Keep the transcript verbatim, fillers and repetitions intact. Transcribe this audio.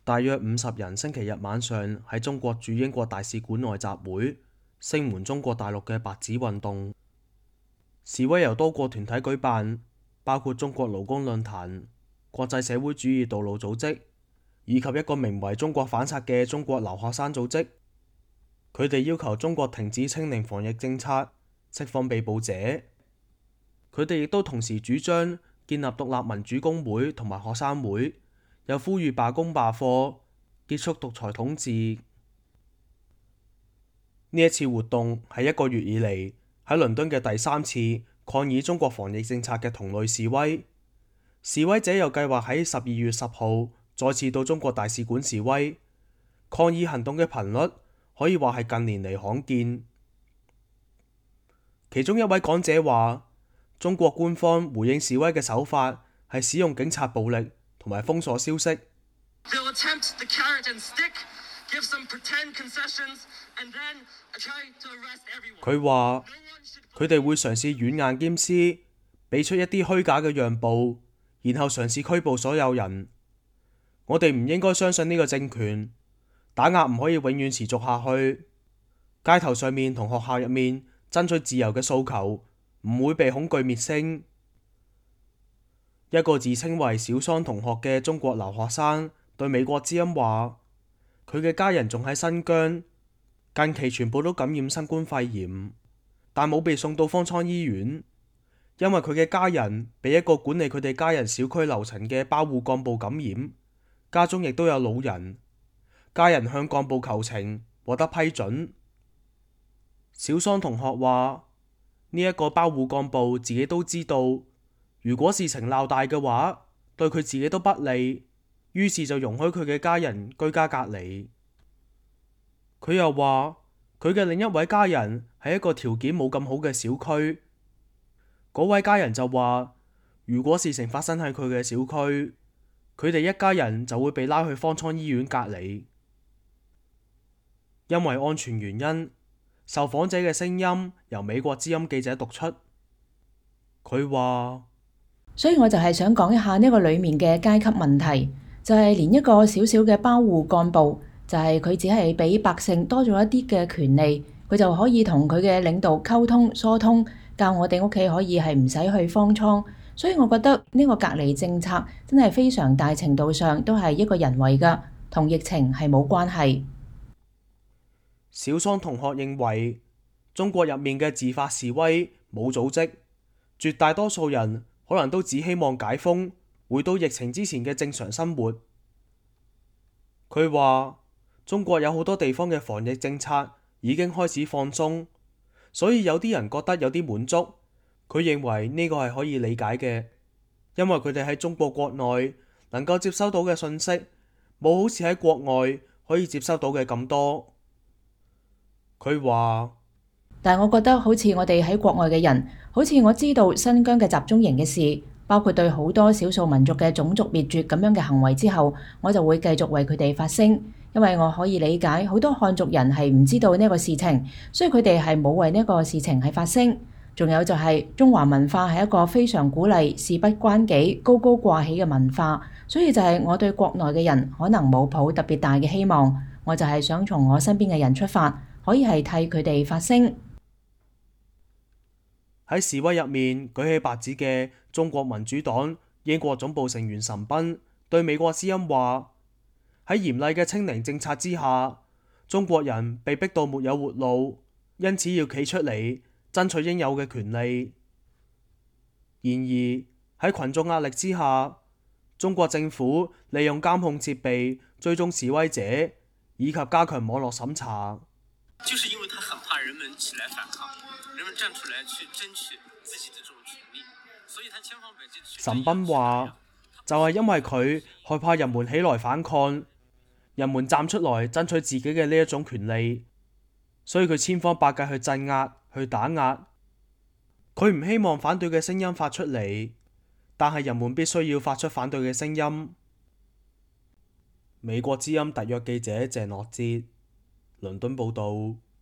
大約五十人星期日晚上喺中國駐英國大使館外集會，聲援中國大陸嘅白紙運動。示威由多個團體舉辦，包括中國勞工論壇、國際社會主義道路組織，以及一個名為中國反殺嘅中國留學生組織。佢哋要求中國停止清零防疫政策，釋放被捕者。佢哋亦都同時主張建立獨立民主工會同埋學生會，又呼籲罷工罷課，結束獨裁統治。呢一次活動係一個月以嚟喺倫敦嘅第三次抗議中國防疫政策嘅同類示威。示威者又計劃喺十二月十號再次到中國大使館示威，抗議行動嘅頻率可以話係近年嚟罕見。其中一位講者話，中國官方回應示威嘅手法係使用警察暴力同埋封鎖消息。佢話佢哋會嘗試軟硬兼施，俾出一啲虛假嘅讓步，然後嘗試拘捕所有人。我哋唔應該相信呢個政權，打壓唔可以永遠持續下去。街頭上面同學校入面爭取自由嘅訴求唔會被恐懼滅聲。一個自稱為小桑同學嘅中國留學生對美國之音話，佢嘅家人仲喺新疆，近期全部都感染新冠肺炎，但冇被送到方艙醫院，因為佢嘅家人被一個管理佢哋家人小區樓層嘅包護幹部感染，家中亦都有老人，家人向幹部求情，獲得批准。小桑同學話，呢一個包護幹部自己都知道，如果事情鬧大嘅話，對佢自己都不利，於是就容許佢嘅家人居家隔離。佢又話，佢嘅另一位家人喺一個條件冇咁好嘅小區，嗰位家人就話，如果事情發生喺佢嘅小區，佢哋一家人就會被拉去方艙醫院隔離。因為安全原因，受訪者嘅聲音由美國之音記者讀出。佢話，所以我就係想講一下呢個裏面嘅階級問題，就係連一個小小嘅包護幹部，就係佢只係比百姓多咗一啲嘅權利，佢就可以同佢嘅領導溝通疏通，教我哋屋企可以係唔使去方艙。所以我覺得呢個隔離政策真係非常大程度上都係一個人為㗎，同疫情係冇關係。小桑同學認為，中國入面嘅自發示威冇組織，絕大多數人可能都只希望解封，回到疫情之前嘅正常生活。佢話，中國有好多地方嘅防疫政策已經開始放鬆，所以有啲人覺得有啲滿足。佢認為呢個係可以理解嘅，因為佢哋喺中國國內能夠接收到嘅信息，冇好似喺國外可以接收到嘅咁多。佢話，但係我覺得好似我哋喺國外嘅人，好似我知道新疆嘅集中營嘅事，包括對好多少數民族嘅種族滅絕咁樣嘅行為之後，我就會繼續為佢哋發聲，因為我可以理解好多漢族人係唔知道呢個事情，所以佢哋係冇為呢個事情係發聲。仲有就係中華文化係一個非常鼓勵事不關己、高高掛起嘅文化，所以就係我對國內嘅人可能冇抱特別大嘅希望，我就係想從我身邊嘅人出發，可以係替佢哋發聲。喺示威入面舉起白紙嘅中國民主黨英國總部成員岑彬對美國之音話，喺嚴厲嘅清零政策之下，中國人被逼到沒有活路，因此要企出嚟爭取應有嘅權利。然而喺群眾壓力之下，中國政府利用監控設備追蹤示威者，以及加強網絡審查。就是因為他很怕人們起來反抗，人們站出來去爭取自己的這種權利，所以他千方百計去。岑彬話，就係因為佢害怕人們起來反抗，人們站出來爭取自己嘅呢一種權利，所以佢千方百計去鎮壓、去打壓。佢唔希望反對嘅聲音發出嚟，但係人們必須要發出反對嘅聲音。美國之音特約記者鄭樂哲，倫敦報道。